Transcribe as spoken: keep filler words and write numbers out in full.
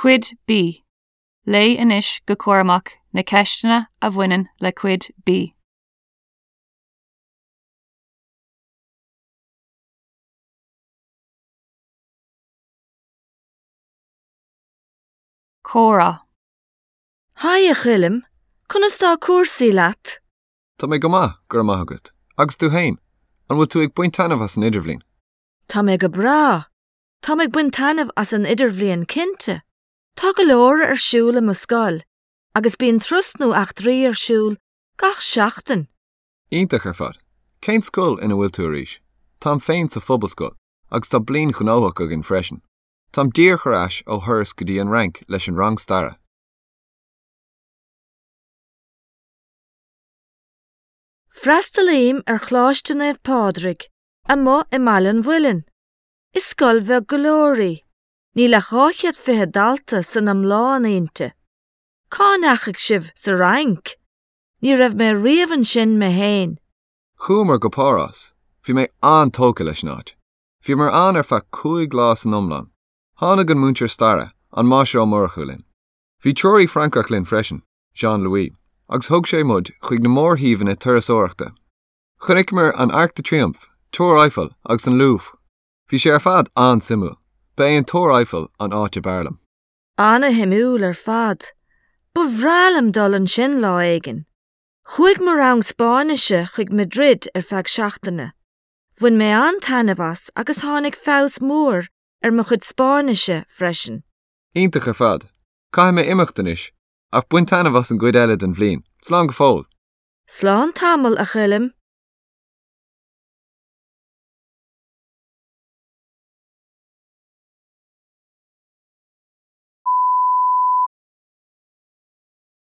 Cuid B. Léigh anois go cúramach na ceisteanna a bhaineann le Cuid B. Comhrá. Haigh a Choilm, conas tá cúrsaí leat? Tá mé go maith, go raibh maith agat. Agus tú féin, an bhfuil tú ag baint taitneamh as an idirbhliain? Tá mé go breá. Tá mé ag baint taitneamh as an idirbhliain cinnte. Tá go leor ar siúl i mo scoil, agus bíonn turais nó eachtraí ar siúl gach seachtain. Iontach ar fad. Cén scoil ina bhfuil tú arís? Táim féin sa phobalscoil, agus tá bliain ghnóthach againn freisin. Táim díreach ar ais ó thuras go dtí an Fhrainc leis an rang staire. Freastalaím ar Choláiste Naomh Pádraig, amuigh i mBaile an Mhuilinn. Is scoil bheag go leor í. Níl ach dhá chéad fiche dalta san iomlán inti. Cá ndeachaigh sibh sa Fhrainc? Ní raibh mé riamh ansin mé féin. Chuamar go Páras. Bhí mé an-tógtha leis an áit. Bhíomar ann ar feadh cúig lá san iomlán. Tháinig an múinteoir staire, an Máistir Ó Murchú linn. Bhí treoraí Francach linn freisin, Jean-Louis, agus thug sé muid chuig na mórshuíomhanna turasóireachta. Chonaiceamar an Arc de Triomphe, Túr Eiffel agus an Louvre. Bhí sé ar fad an-suimiúil. Ba é an Túr Eiffel an áit ab fhearr liom. An-shuimiúil ar fad. Ba bhreá liom dul ansin lá éigin. Chuaigh mo rang Spáinnise chuig Madrid ar feadh seachtaine. Bhain mé an-taitneamh as agus tháinig feabhas mór ar mo chuid Spáinnise freisin. Iontach ar fad. Caithfidh mé imeacht anois, ach bain taitneamh as an gcuid eile den bhliain. Slán go fóill. Slán tamall a Choilm.